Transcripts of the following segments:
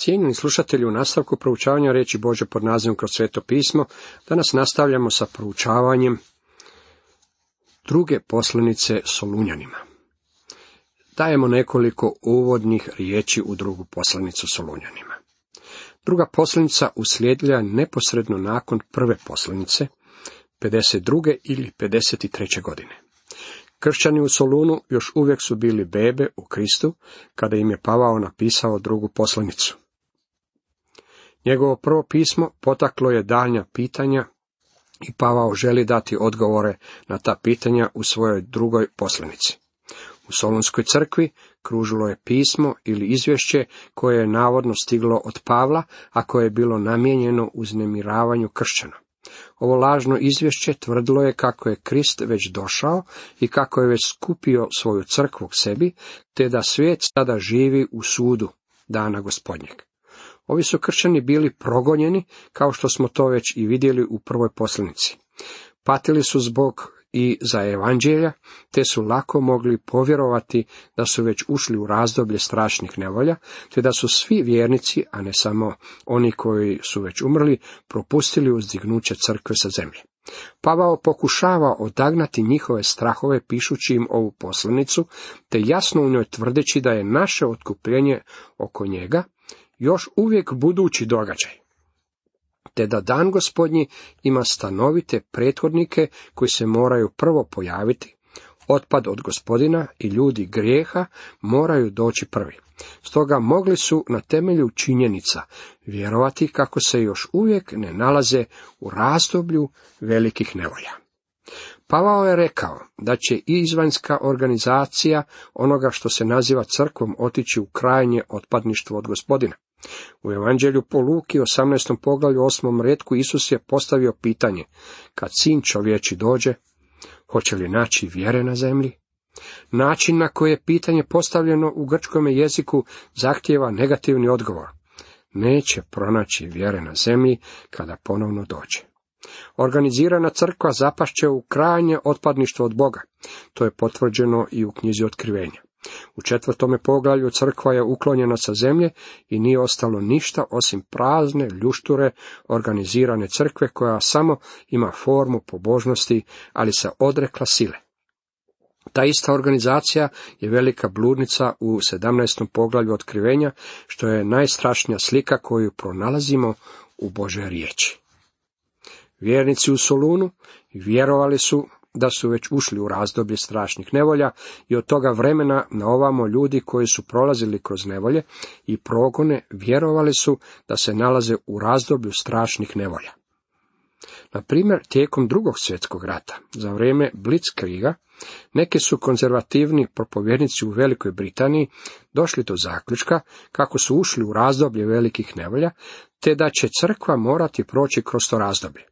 Cijenjeni slušatelji, u nastavku proučavanja riječi Božje pod nazivom Kroz sveto pismo, danas nastavljamo sa proučavanjem druge poslanice Solunjanima. Dajemo nekoliko uvodnih riječi u drugu poslanicu Solunjanima. Druga poslanica uslijedila je neposredno nakon prve poslanice, 52. ili 53. godine. Kršćani u Solunu još uvijek su bili bebe u Kristu, kada im je Pavao napisao drugu poslanicu. Njegovo prvo pismo potaklo je daljnja pitanja i Pavao želi dati odgovore na ta pitanja u svojoj drugoj poslanici. U Solunskoj crkvi kružilo je pismo ili izvješće koje je navodno stiglo od Pavla, a koje je bilo namijenjeno uznemiravanju kršćana. Ovo lažno izvješće tvrdilo je kako je Krist već došao i kako je već skupio svoju crkvu k sebi, te da svijet sada živi u sudu dana Gospodnjeg. Ovi su kršćani bili progonjeni, kao što smo to već i vidjeli u prvoj poslanici. Patili su zbog i za evanđelja, te su lako mogli povjerovati da su već ušli u razdoblje strašnih nevolja, te da su svi vjernici, a ne samo oni koji su već umrli, propustili uzdignuće crkve sa zemlje. Pavao pokušava odagnati njihove strahove pišući im ovu poslanicu, te jasno u njoj tvrdeći da je naše otkupljenje oko njega još uvijek budući događaj, te da dan Gospodnji ima stanovite prethodnike koji se moraju prvo pojaviti, otpad od Gospodina i ljudi grijeha moraju doći prvi. Stoga mogli su na temelju činjenica vjerovati kako se još uvijek ne nalaze u razdoblju velikih nevolja. Pavao je rekao da će izvanjska organizacija onoga što se naziva crkvom otići u krajnje otpadništvo od Gospodina. U Evanđelju po Luki 18. poglavlju 8. retku Isus je postavio pitanje: kad sin čovječi dođe, hoće li naći vjere na zemlji? Način na koji je pitanje postavljeno u grčkom jeziku zahtijeva negativni odgovor. Neće pronaći vjere na zemlji kada ponovno dođe. Organizirana crkva zapašće u krajnje otpadništvo od Boga. To je potvrđeno i u knjizi Otkrivenja. U 4. poglavlju crkva je uklonjena sa zemlje i nije ostalo ništa osim prazne ljušture organizirane crkve koja samo ima formu pobožnosti, ali se odrekla sile. Ta ista organizacija je velika bludnica u 17. poglavlju Otkrivenja, što je najstrašnija slika koju pronalazimo u Božoj riječi. Vjernici u Solunu vjerovali su da su već ušli u razdoblje strašnih nevolja i od toga vremena na ovamo ljudi koji su prolazili kroz nevolje i progone vjerovali su da se nalaze u razdoblju strašnih nevolja. Na primjer, tijekom Drugog svjetskog rata, za vrijeme Blitzkriega, neki su konzervativni propovjednici u Velikoj Britaniji došli do zaključka kako su ušli u razdoblje velikih nevolja, te da će crkva morati proći kroz to razdoblje.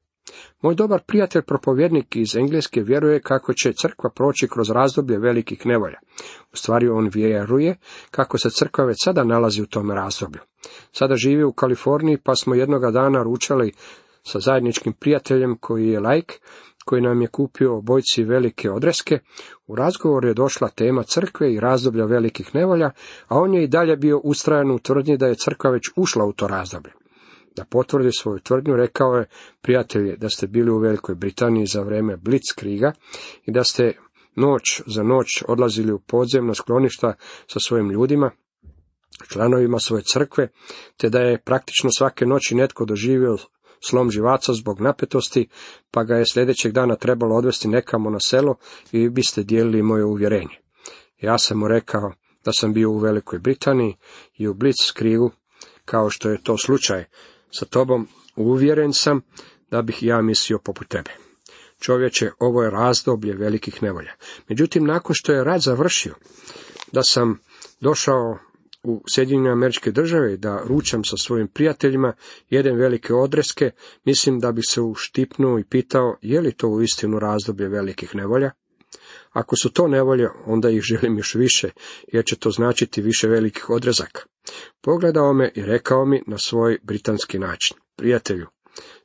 Moj dobar prijatelj propovjednik iz Engleske vjeruje kako će crkva proći kroz razdoblje velikih nevolja. U stvari on vjeruje kako se crkva već sada nalazi u tom razdoblju. Sada živi u Kaliforniji, pa smo jednoga dana ručali sa zajedničkim prijateljem koji je laik, koji nam je kupio obojci velike odreske. U razgovor je došla tema crkve i razdoblja velikih nevolja, a on je i dalje bio ustrajan u tvrdnji da je crkva već ušla u to razdoblje. Da potvrdi svoju tvrdnju, rekao je: prijatelji, da ste bili u Velikoj Britaniji za vrijeme Blitzkriega i da ste noć za noć odlazili u podzemna skloništa sa svojim ljudima, članovima svoje crkve, te da je praktično svake noći netko doživio slom živaca zbog napetosti, pa ga je sljedećeg dana trebalo odvesti nekamo na selo i vi biste dijelili moje uvjerenje. Ja sam mu rekao da sam bio u Velikoj Britaniji i u Blitzkriegu, kao što je to slučaj sa tobom, uvjeren sam da bih ja mislio poput tebe. Čovječe, ovo je razdoblje velikih nevolja. Međutim, nakon što je rat završio, da sam došao u Sjedinjene Američke Države i da ručam sa svojim prijateljima, jedem velike odreske, mislim da bih se uštipnuo i pitao je li to uistinu razdoblje velikih nevolja. Ako su to nevolje, onda ih želim još više, jer će to značiti više velikih odrezaka. Pogledao me i rekao mi na svoj britanski način: prijatelju,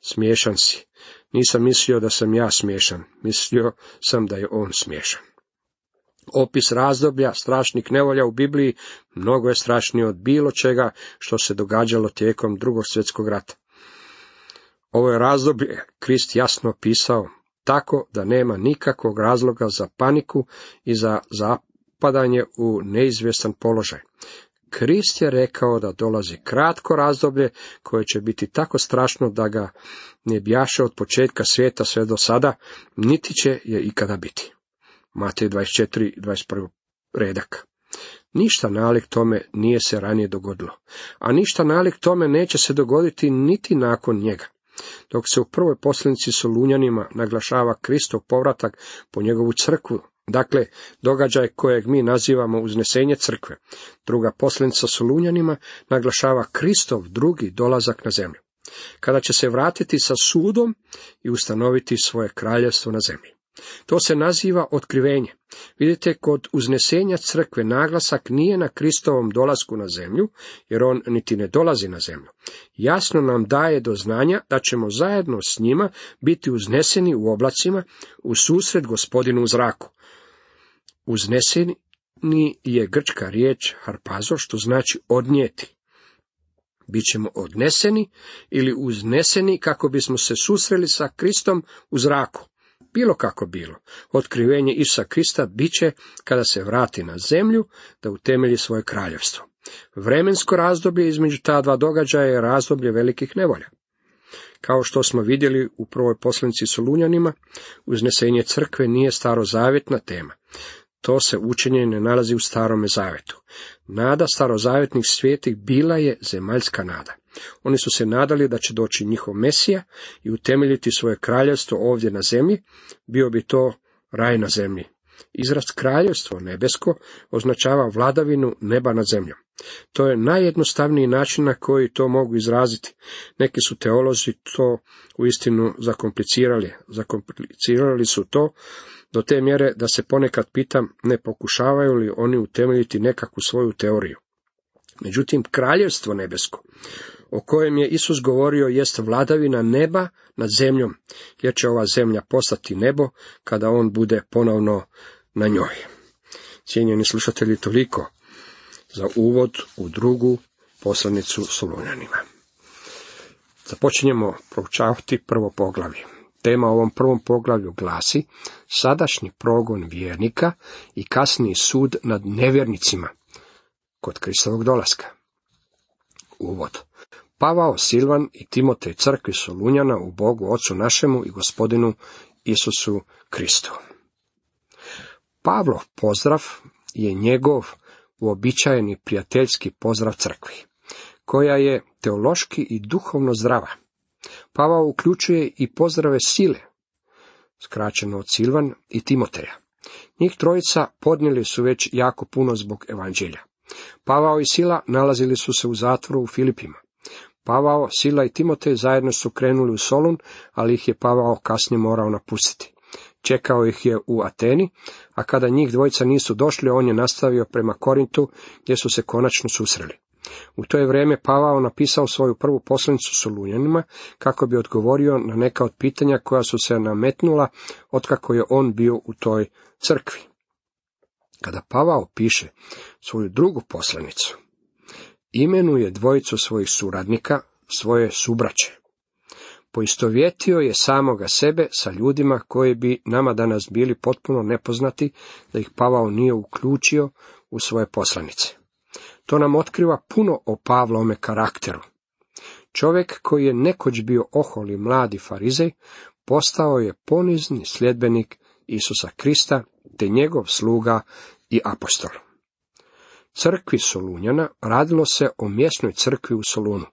smiješan si. Nisam mislio da sam ja smiješan, mislio sam da je on smiješan. Opis razdoblja strašnih nevolja u Bibliji mnogo je strašniji od bilo čega što se događalo tijekom Drugog svjetskog rata. Ovo je razdoblje Krist jasno opisao, tako da nema nikakvog razloga za paniku i za zapadanje u neizvjestan položaj. Krist je rekao da dolazi kratko razdoblje koje će biti tako strašno da ga ne bjaše od početka svijeta sve do sada, niti će je ikada biti. Matej 24, 21 redak. Ništa nalik tome nije se ranije dogodilo, a ništa nalik tome neće se dogoditi niti nakon njega. Dok se u prvoj poslanici Solunjanima naglašava Kristov povratak po njegovu crkvu, dakle događaj kojeg mi nazivamo uznesenje crkve, druga poslanica Solunjanima naglašava Kristov drugi dolazak na zemlju, kada će se vratiti sa sudom i ustanoviti svoje kraljevstvo na zemlji. To se naziva otkrivenje. Vidite, kod uznesenja crkve naglasak nije na Kristovom dolasku na zemlju, jer on niti ne dolazi na zemlju. Jasno nam daje do znanja da ćemo zajedno s njima biti uzneseni u oblacima u susret Gospodinu u zraku. Uzneseni je grčka riječ harpazo, što znači odnijeti. Bićemo odneseni ili uzneseni kako bismo se susreli sa Kristom u zraku. Bilo kako bilo, otkrivenje Isusa Krista bit će kada se vrati na zemlju da utemelji svoje kraljevstvo. Vremensko razdoblje između ta dva događaja je razdoblje velikih nevolja. Kao što smo vidjeli u prvoj poslanici Solunjanima, uznesenje crkve nije starozavjetna tema. To se učenje ne nalazi u Starome zavetu. Nada starozavjetnih svetih bila je zemaljska nada. Oni su se nadali da će doći njihov Mesija i utemeljiti svoje kraljevstvo ovdje na zemlji, bio bi to raj na zemlji. Izraz kraljevstvo nebesko označava vladavinu neba nad zemljom. To je najjednostavniji način na koji to mogu izraziti. Neki su teolozi to uistinu zakomplicirali. Zakomplicirali su to do te mjere da se ponekad pitam ne pokušavaju li oni utemeljiti nekakvu svoju teoriju. Međutim, kraljevstvo nebesko, o kojem je Isus govorio, jest vladavina neba nad zemljom, jer će ova zemlja postati nebo kada on bude ponovno na njoj. Cijenjeni slušatelji, toliko za uvod u drugu poslanicu Solunjanima. Započinjemo proučavati prvo poglavlje. Tema ovom prvom poglavlju glasi sadašnji progon vjernika i kasniji sud nad nevjernicima kod Kristovog dolaska. Uvod. Pavao, Silvan i Timotej crkvi Solunjana u Bogu Ocu našemu i Gospodinu Isusu Kristu. Pavlov pozdrav je njegov uobičajeni prijateljski pozdrav crkvi, koja je teološki i duhovno zdrava. Pavao uključuje i pozdrave Sile, skraćeno od Silvan i Timoteja. Njih trojica podnijeli su već jako puno zbog evanđelja. Pavao i Sila nalazili su se u zatvoru u Filipima. Pavao, Sila i Timotej zajedno su krenuli u Solun, ali ih je Pavao kasnije morao napustiti. Čekao ih je u Ateni, a kada njih dvojica nisu došli, on je nastavio prema Korintu, gdje su se konačno susreli. U to je vrijeme Pavao napisao svoju prvu poslanicu Solunjanima, kako bi odgovorio na neka od pitanja koja su se nametnula otkako je on bio u toj crkvi. Kada Pavao piše svoju drugu poslanicu, imenuje dvojicu svojih suradnika, svoje subraće. Poistovjetio je samoga sebe sa ljudima koji bi nama danas bili potpuno nepoznati, da ih Pavao nije uključio u svoje poslanice. To nam otkriva puno o Pavlovome karakteru. Čovjek koji je nekoć bio oholi mladi farizej, postao je ponizni sljedbenik Isusa Krista, te njegov sluga i apostol. Crkvi Solunjana radilo se o mjesnoj crkvi u Solunu.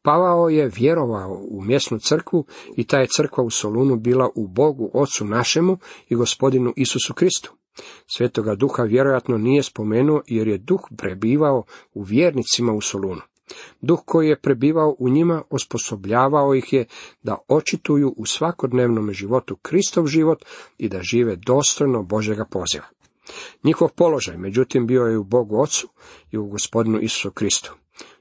Pavao je vjerovao u mjesnu crkvu i ta je crkva u Solunu bila u Bogu Ocu našemu i Gospodinu Isusu Kristu. Svetoga Duha vjerojatno nije spomenuo, jer je Duh prebivao u vjernicima u Solunu. Duh koji je prebivao u njima osposobljavao ih je da očituju u svakodnevnom životu Kristov život i da žive dostojno Božjega poziva. Njihov položaj, međutim, bio je u Bogu Ocu i u Gospodinu Isusu Kristu.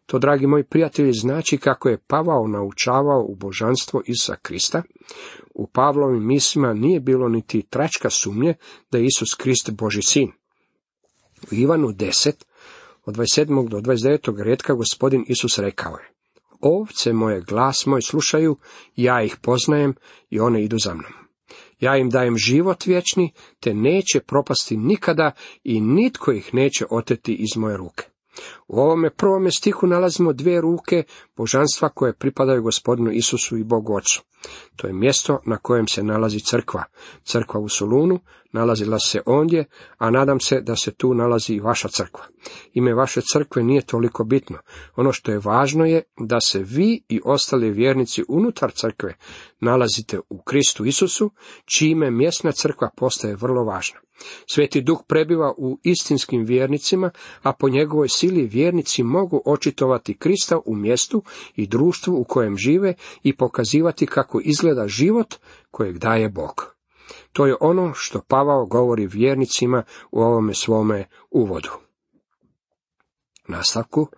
To, dragi moji prijatelji, znači kako je Pavao naučavao u božanstvo Isusa Krista. U Pavlovim mislima nije bilo niti tračka sumnje da je Isus Krist Božji sin. U Ivanu 10, od 27. do 29. redka Gospodin Isus rekao je: Ovce moje glas moj slušaju, ja ih poznajem i one idu za mnom. Ja im dajem život vječni, te neće propasti nikada i nitko ih neće oteti iz moje ruke. U ovome prvome stihu nalazimo dvije ruke božanstva koje pripadaju Gospodinu Isusu i Bogu Ocu. To je mjesto na kojem se nalazi crkva. Crkva u Solunu nalazila se ondje, a nadam se da se tu nalazi i vaša crkva. Ime vaše crkve nije toliko bitno. Ono što je važno je da se vi i ostali vjernici unutar crkve nalazite u Kristu Isusu, čime mjesna crkva postaje vrlo važna. Sveti Duh prebiva u istinskim vjernicima, a po njegovoj sili vjernici mogu očitovati Krista u mjestu i društvu u kojem žive i pokazivati kako izgleda život kojeg daje Bog. To je ono što Pavao govori vjernicima u ovome svome uvodu. Nastavku: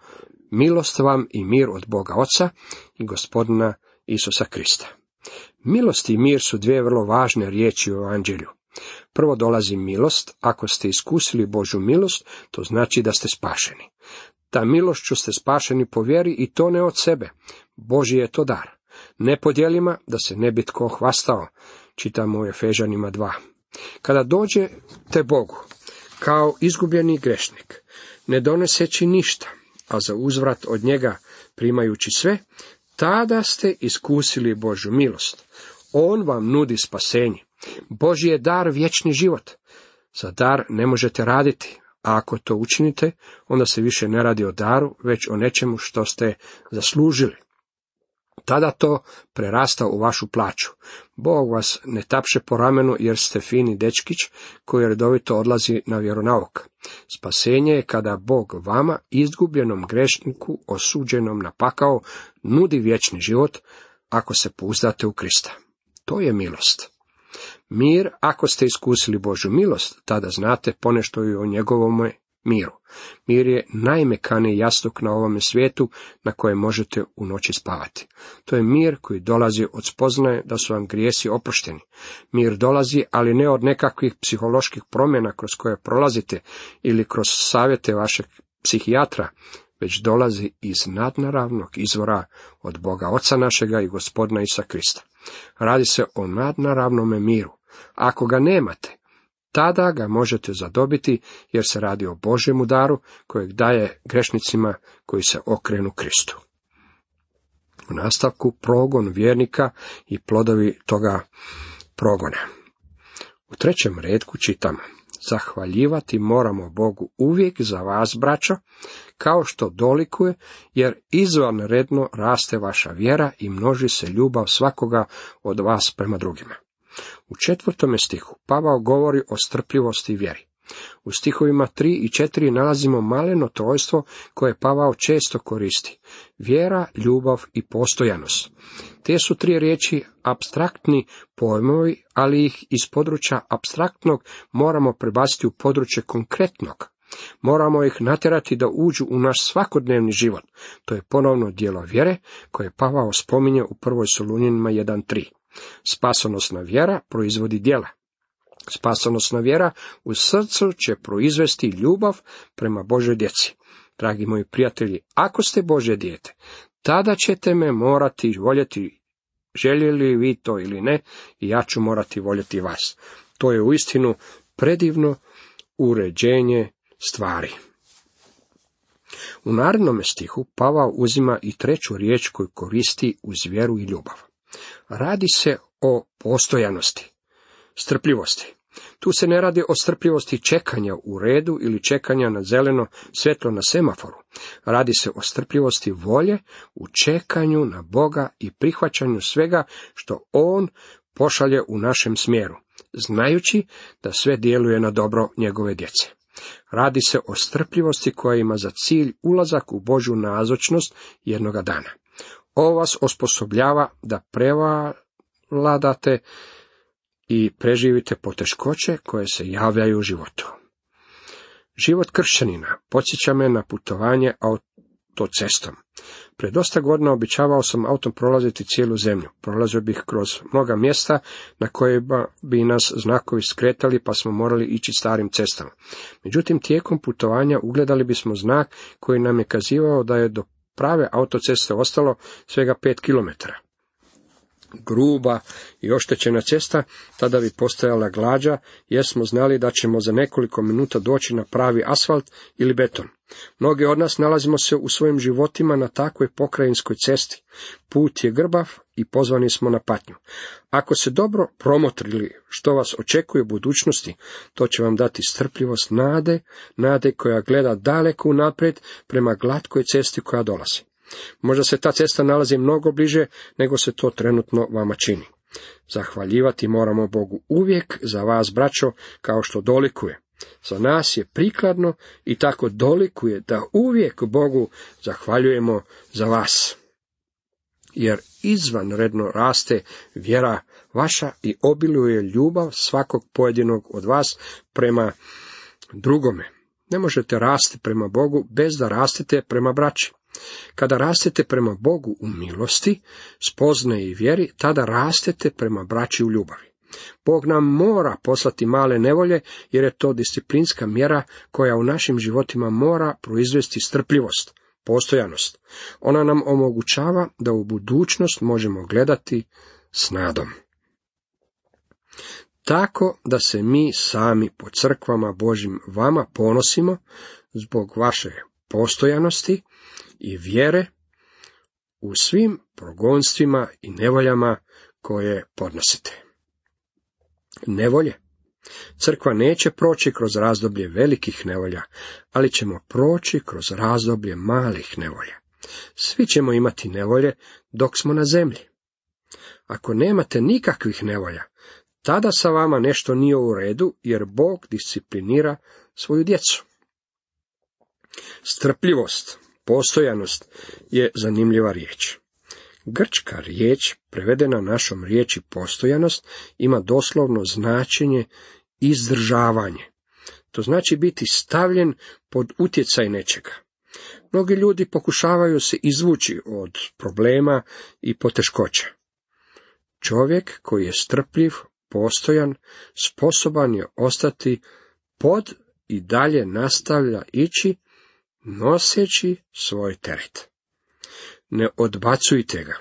milost vam i mir od Boga Oca i Gospodina Isusa Krista. Milost i mir su dvije vrlo važne riječi u Evanđelju. Prvo dolazi milost. Ako ste iskusili Božju milost, to znači da ste spašeni. Ta milošću ste spašeni po vjeri i to ne od sebe. Božji je to dar. Ne po djelima, da se ne bi tko hvastao. Čitamo u Efežanima 2. Kada dođete Bogu kao izgubljeni grešnik, ne doneseći ništa, a za uzvrat od njega primajući sve, tada ste iskusili Božju milost. On vam nudi spasenje. Božji je dar vječni život. Za dar ne možete raditi, a ako to učinite, onda se više ne radi o daru, već o nečemu što ste zaslužili. Tada to prerasta u vašu plaću. Bog vas ne tapše po ramenu jer ste fini dečkić koji redovito odlazi na vjeronauk. Spasenje je kada Bog vama, izgubljenom grešniku, osuđenom na pakao, nudi vječni život ako se pouzdate u Krista. To je milost. Mir, ako ste iskusili Božju milost, tada znate ponešto i o njegovom miru. Mir je najmekaniji jastuk na ovome svijetu na kojem možete u noći spavati. To je mir koji dolazi od spoznaje da su vam grijesi oprošteni. Mir dolazi, ali ne od nekakvih psiholoških promjena kroz koje prolazite ili kroz savjete vašeg psihijatra, već dolazi iz nadnaravnog izvora od Boga Oca našega i Gospodina Isusa Krista. Radi se o nadnaravnome miru. Ako ga nemate, tada ga možete zadobiti, jer se radi o Božjemu daru kojeg daje grešnicima koji se okrenu Kristu. U nastavku progon vjernika i plodovi toga progona. U 3. redku čitamo: zahvaljivati moramo Bogu uvijek za vas, braćo, kao što dolikuje, jer izvanredno raste vaša vjera i množi se ljubav svakoga od vas prema drugima. U 4. stihu Pavao govori o strpljivosti i vjeri. U stihovima 3 i 4 nalazimo maleno trojstvo koje Pavao često koristi: vjera, ljubav i postojanost. Te su tri riječi apstraktni pojmovi, ali ih iz područja apstraktnog moramo prebaciti u područje konkretnog. Moramo ih natjerati da uđu u naš svakodnevni život. To je ponovno djelo vjere koje Pavao spominje u 1. Solunjanima 1.3. Spasonosna vjera proizvodi djela. Spasonosna vjera u srcu će proizvesti ljubav prema Božoj djeci. Dragi moji prijatelji, ako ste Božje dijete, tada ćete me morati voljeti, željeli vi to ili ne, i ja ću morati voljeti vas. To je uistinu predivno uređenje stvari. U narednom stihu Pavao uzima i treću riječ koju koristi uz vjeru i ljubav. Radi se o postojanosti, strpljivosti. Tu se ne radi o strpljivosti čekanja u redu ili čekanja na zeleno svjetlo na semaforu. Radi se o strpljivosti volje u čekanju na Boga i prihvaćanju svega što On pošalje u našem smjeru, znajući da sve djeluje na dobro njegove djece. Radi se o strpljivosti koja ima za cilj ulazak u Božju nazočnost jednoga dana. Ovo vas osposobljava da prevladate i preživite poteškoće koje se javljaju u životu. Život kršćanina podsjeća me na putovanje autocestom. Pred dosta godina običavao sam autom prolaziti cijelu zemlju. Prolazio bih kroz mnoga mjesta na kojima bi nas znakovi skretali, pa smo morali ići starim cestama. Međutim, tijekom putovanja ugledali bismo znak koji nam je kazivao da je do prave autoceste ostalo svega 5 kilometara. Gruba i oštećena cesta tada bi postajala glađa, jer smo znali da ćemo za nekoliko minuta doći na pravi asfalt ili beton. Mnogi od nas nalazimo se u svojim životima na takvoj pokrajinskoj cesti. Put je grbav i pozvani smo na patnju. Ako se dobro promotrili što vas očekuje u budućnosti, to će vam dati strpljivost nade koja gleda daleko unaprijed prema glatkoj cesti koja dolazi. Možda se ta cesta nalazi mnogo bliže nego se to trenutno vama čini. Zahvaljivati moramo Bogu uvijek za vas, braćo, kao što dolikuje. Za nas je prikladno i tako dolikuje da uvijek Bogu zahvaljujemo za vas. Jer izvanredno raste vjera vaša i obiluje ljubav svakog pojedinog od vas prema drugome. Ne možete rasti prema Bogu bez da rastete prema braći. Kada rastete prema Bogu u milosti, spoznaji i vjeri, tada rastete prema braći u ljubavi. Bog nam mora poslati male nevolje, jer je to disciplinska mjera koja u našim životima mora proizvesti strpljivost, postojanost. Ona nam omogućava da u budućnost možemo gledati s nadom. Tako da se mi sami po crkvama Božjim vama ponosimo zbog vaše postojanosti i vjere u svim progonstvima i nevoljama koje podnosite. Nevolje. Crkva neće proći kroz razdoblje velikih nevolja, ali ćemo proći kroz razdoblje malih nevolja. Svi ćemo imati nevolje dok smo na zemlji. Ako nemate nikakvih nevolja, tada sa vama nešto nije u redu, jer Bog disciplinira svoju djecu. Strpljivost, postojanost je zanimljiva riječ. Grčka riječ, prevedena našom riječi postojanost, ima doslovno značenje izdržavanje. To znači biti stavljen pod utjecaj nečega. Mnogi ljudi pokušavaju se izvući od problema i poteškoća. Čovjek koji je strpljiv, postojan, sposoban je ostati pod i dalje nastavlja ići, noseći svoj teret. Ne odbacujte ga.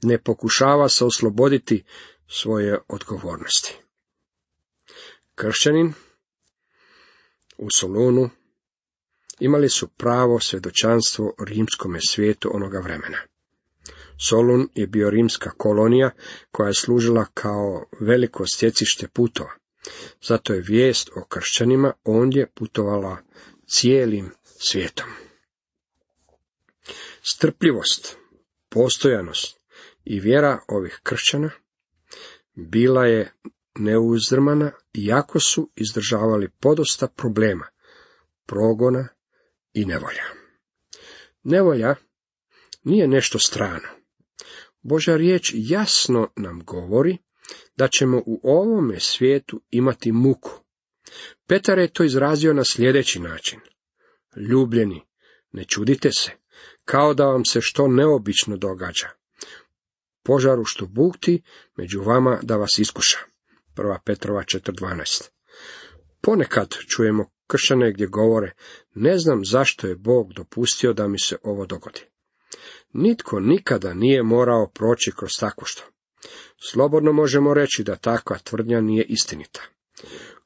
Ne pokušava se osloboditi svoje odgovornosti. Kršćanin u Solunu imali su pravo svjedočanstvo rimskome svijetu onoga vremena. Solun je bio rimska kolonija koja je služila kao veliko stjecište putova. Zato je vijest o kršćanima ondje putovala cijelim svijetom. Strpljivost, postojanost i vjera ovih kršćana bila je neuzdrmana, iako su izdržavali podosta problema, progona i nevolja. Nevolja nije nešto strano. Božja riječ jasno nam govori da ćemo u ovome svijetu imati muku. Petar je to izrazio na sljedeći način. Ljubljeni, ne čudite se, kao da vam se što neobično događa. Požaru što bukti među vama da vas iskuša. 1. Petrova 4.12. Ponekad čujemo kršćane gdje govore, ne znam zašto je Bog dopustio da mi se ovo dogodi. Nitko nikada nije morao proći kroz takvo što. Slobodno možemo reći da takva tvrdnja nije istinita.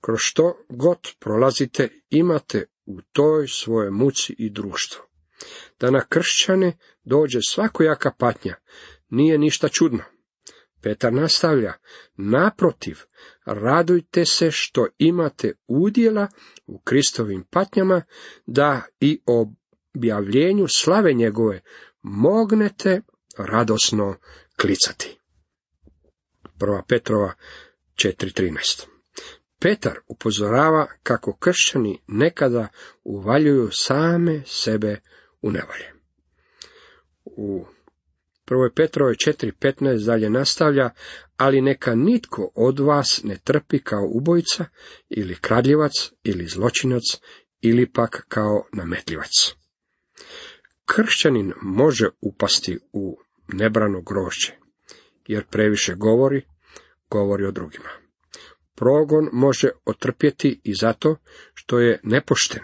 Kroz što god prolazite, imate u toj svojoj muci i društvu. Da na kršćane dođe svakojaka patnja, nije ništa čudno. Petar nastavlja, naprotiv, radujte se što imate udjela u Kristovim patnjama, da i objavljenju slave njegove mognete radosno klicati. 1. Petrova 4.13. Petar upozorava kako kršćani nekada uvaljuju same sebe u nevolje. U 1. Petrovoj 4.15 dalje nastavlja, ali neka nitko od vas ne trpi kao ubojica, ili kradljivac, ili zločinac, ili pak kao nametljivac. Kršćanin može upasti u nebrano grožđe, jer previše govori o drugima. Progon može otrpjeti i zato što je nepošten.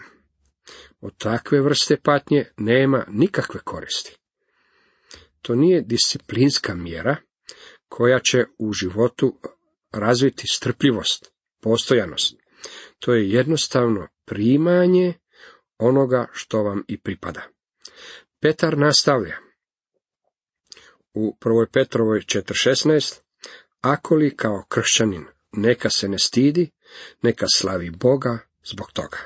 Od takve vrste patnje nema nikakve koristi. To nije disciplinska mjera koja će u životu razviti strpljivost, postojanost. To je jednostavno primanje onoga što vam i pripada. Petar nastavlja u 1. Petrovoj 4.16, ako li kao kršćanin neka se ne stidi, neka slavi Boga zbog toga.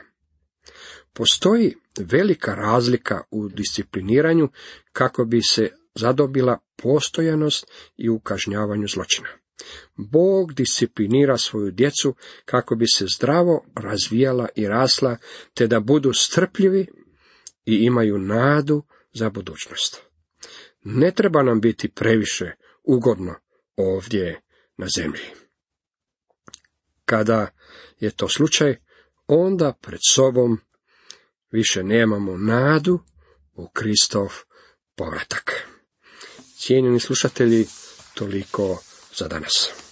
Postoji velika razlika u discipliniranju kako bi se zadobila postojanost i u kažnjavanju zločina. Bog disciplinira svoju djecu kako bi se zdravo razvijala i rasla, te da budu strpljivi i imaju nadu za budućnost. Ne treba nam biti previše ugodno ovdje na zemlji. Kada je to slučaj, onda pred sobom više nemamo nadu u Kristov povratak. Cijenjeni slušatelji, toliko za danas.